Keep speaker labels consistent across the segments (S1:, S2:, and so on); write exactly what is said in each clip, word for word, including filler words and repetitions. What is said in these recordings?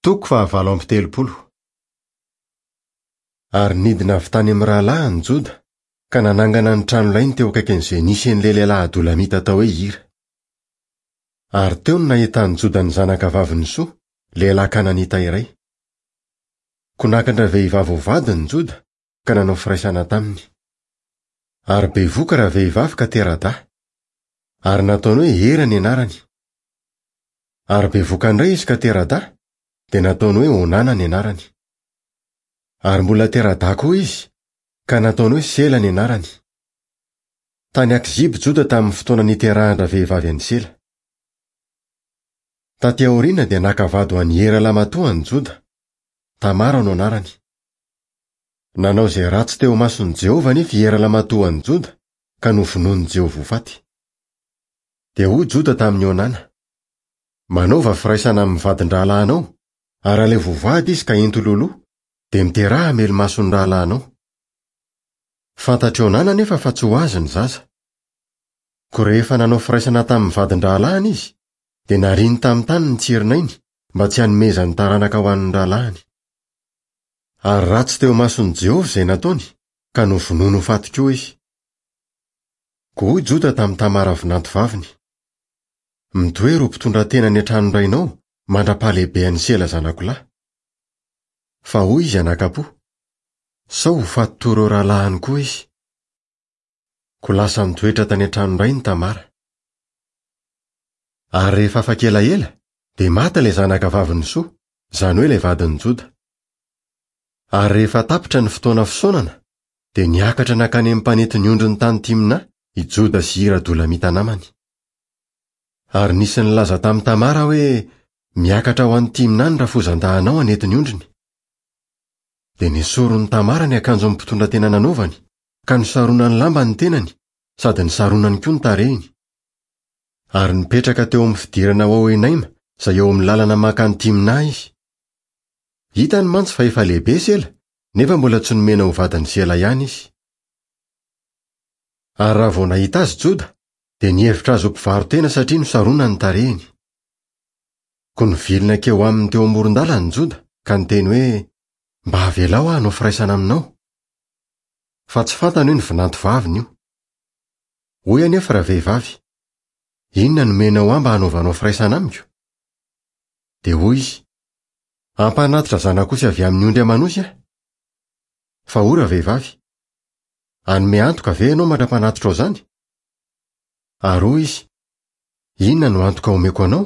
S1: Toko fahavalo amby telopolo. Ary nidina avy tany amin'ny rahalahiny Joda, ka nanangana ny tranolainy teo akaikin'izay nisy an'ilay lehilahy Adolamita atao hoe Hira. Ary teo no nahitan'i Joda ny zanaka vavin'i Soa, lehilahy Kananita iray. Koa naka an-dravehivavy ho vadiny Joda, ka nanao firaisana taminy. Ary bevoka ravehivavy ka tera-dahy. Ary nataony hoe Hera ny anarany. Ary bevoka indray izy ka tera-dahy, dia nataony hoe Onana ny anarany. Ary mbola tera-dahy koa izy, ka nataony hoe Sela ny anarany. Tany Akziby Joda tamin'ny fotoana niterahan-dravehivavy an'i Sela. Taty aoriana dia naka vady ho an'i Hera lamatoa an'i Joda. Tamara no anarany. Nanao izay ratsy teo imason'i Jehovah anefa i Hera lamatoa an'i Joda, ka novonoin'i Jehovah ho faty. Dia hoy Joda tamin'i Onana: Manaova firaisana amin'ny vadin-drahalahinao, ary alaivo ho vady izy ka ento loloha, dia miteraha hamelo-mason'ny rahalahinao. Fantatr'i Onana anefa fa tsy ho azy ny zaza. Koa rehefa nanao firaisana tamin'ny vadin-drahalahiny izy, dia nariny tamin'ny tany ny tsirinainy mba tsy hanomezany taranaka ho an'ny rahalahiny. Ary ratsy teo imason'i Jehovah izay nataony, ka novonoiny ho faty koa izy. Koa hoy Joda tamin'i Tamara vinantovaviny: Mitoera ho mpitondra tena any an-tranon-drainao mandra-pahalehibean'i Sela zanakolahy. Fa hoy izy anakapo: Sao ho faty toy ireo rahalahiny koa izy. Koa lasa nitoetra tany an-tranon-drainy Tamara. Ary rehefa afaka elaela, dia maty ilay zanaka vavin'i Soa, izany hoe ilay vadin'i Joda. Ary rehefa tapitra ny fotoana fisaonana, dia niakatra nankany amin'ny mpanety ny ondriny tany Timna i Joda sy Hira Adolamita namany. Ary nisy nilaza tamin'i Tamara hoe: Miakatra ho any Timna ny rafozan-dahinao hanety ny ondriny. Dia nesorin'i Tamara ny akanjon'ny mpitondra tena nanaovany, ka nosaronany lamba ny tenany, sady nisaronany koa ny tarehiny. Ary nipetraka teo amin'ny fidirana ho ao Enaima, izay eo amin'ny lalana mankany Timna izy. Hitany mantsy fa efa lehibe Sela, nefa mbola tsy nomena ho vadin'i Sela ihany izy. Ary raha vao nahita azy Joda, dia nihevitra azy ho mpivaro-tena satria nosaronany ny tarehiny. Koa nivilina hankeo aminy teo amoron-dalana Joda, ka niteny hoe: Mba avelao aho hanao firaisana aminao. Fa tsy fantany hoe ny vinantovaviny io. Hoy anefa ravehivavy: Inona no omenao ahy mba hanaovanao firaisana amiko? Dia hoy izy: Hampanatitra zanak'osy avy amin'ny ondry aman'osy aho. Fa hoy ravehivavy: Hanome antoka ve ianao mandra-panatitra izany? Ary hoy izy: Inona no antoka omeko anao?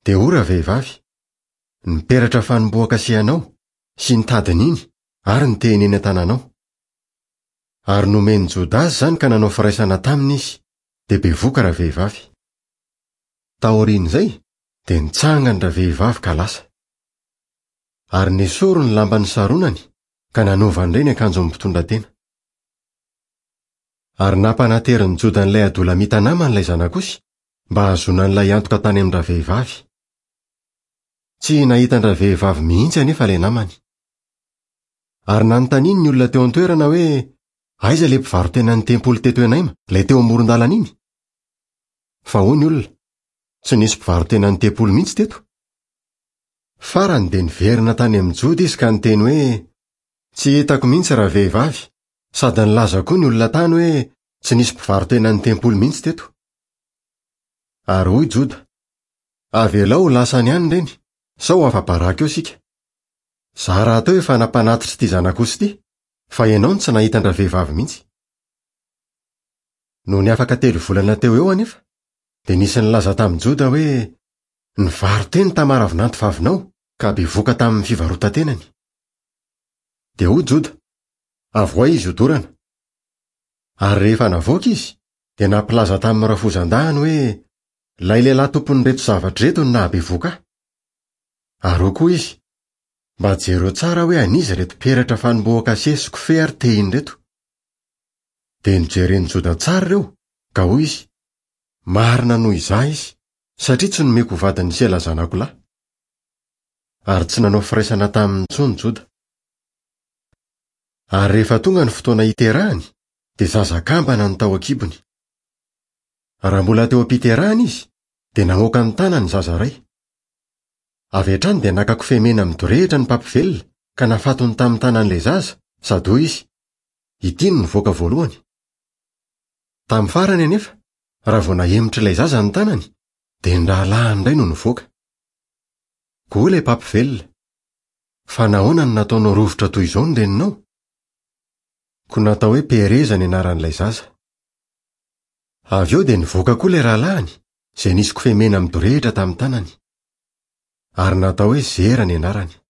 S1: Dia hoy ravehivavy: Ny peratra fanombohan-kasihanao, sy ny tadiny iny, ary ny tehiny eny an-tananao. Ary nomen'i Joda azy izany ka nanao firaisana taminy izy, dia bevoka ravehivavy. Taorian'izay, dia nitsangana ravehivavy ka lasa. Ary nesoriny ny lamba nisaronany, ka nanaovany indray ny akanjon'ny mpitondra tena. Ary nampanaterin'i Joda an'ilay Adolamita namany ilay zanak'osy, mba hahazoana an'ilay antoka tany amin-dravehivavy. Tsy nahita an-dravehivavy mihitsy anefa ilay namany. Ary nanontaniany ny olona teo an-toerana hoe: Aiza ilay mpivaro-tenan'ny tempoly teto Enaima, ilay teo amoron-dalana iny? Fa hoy ny olona: Tsy nisy mpivaro-tenan'ny tempoly mihitsy teto. Farany dia niverina tany amin'i Joda izy ka niteny hoe: Tsy hitako mihitsy ravehivavy, sady nilaza koa ny olona tany hoe tsy nisy mpivaro-tenan'ny tempoly mihitsy teto. Ary hoy Joda: Avelao ho lasany ihany ireny, sao ho afa-baraka eo isika. Izaho rahateo efa nampanatitra ity zanak'osy ity, fa ianao no tsy nahita an-dravehivavy mihitsy. Nony afaka telo volana teo eo anefa, dia nisy nilaza tamin'i Joda hoe: Nivaro-teny Tamara vinantovavinao, ka bevoka tamin'ny fivarotan-tenany. Dia hoy Joda: Avoay izy hodorana. Ary rehefa navoaka izy, dia nampilaza tamin'ny rafozan-dahiny hoe: Ilay lehilahy tompon'ireto zavatra ireto no nahabevoka ahy. Ary hoy koa izy: Mba jereo tsara hoe an'iza ireto peratra fanombohan-kase sy kofehy ary tehiny ireto. Dia nojeren'i Joda tsara ireo, ka hoy izy: Marina noho izaho izy, satria tsy nomeko ho vadin'i Sela zanakolahy. Ary tsy nanao firaisana taminy intsony Joda. Ary rehefa tonga ny fotoana hiterahany, dia zaza kambana no tao an-kibony. Raha mbola teo am-piterahana izy, dia namoaka ny tanany ny zaza iray. Avy hatrany dia naka kofehy mena midorehitra ny mpampivelona ka nafatony tamin'ny tanan'ilay zaza sady hoy izy: "Ity no nivoaka voalohany." Tamin'ny farany anefa, raha vao nahemotra ilay zaza ny tanany, dia ny rahalahiny indray no nivoaka. Koa hoy ilay mpampivelona: "Fa nahoana no nataonao rovitra toy izao ny reninao?" Koa natao hoe Pereza ny anaran'ilay zaza. Avy eo dia nivoaka koa ilay rahalahiny, izay nisy kofehy mena midorehitra tamin'ny tanany. Ary natao hoe Zera ny anarany.